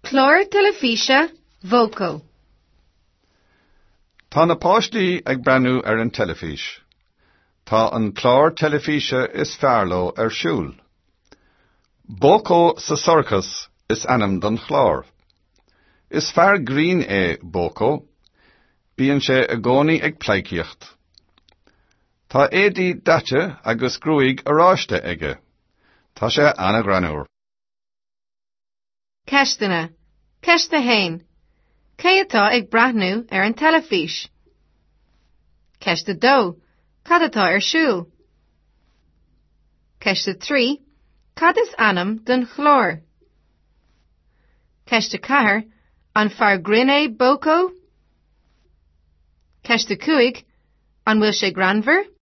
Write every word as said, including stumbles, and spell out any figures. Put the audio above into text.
Clár teilifíse Boko. Tá na páistí ag breathnú ar an teilifís. Tá an clár teilifíse is fearr leo ar siúl. Boko sa sorcas is ainm don chlár. Is fear grinn é Boko, bíonn sé i gcónaí ag pleidhcíocht. Tá éadaí daite agus gruaig oráiste aige. Tá sé an-ghreannmhar. Ceisteanna. Ceist a haon. Cé atá ag breathnú ar an teilifís? Ceist a dó. Cad atá ar siúl? Ceist a trí. Cad is ainm don chlár? Ceist a ceathair. An fear grinn é Boko? Ceist a cúig. An bhfuil sé greannmhar?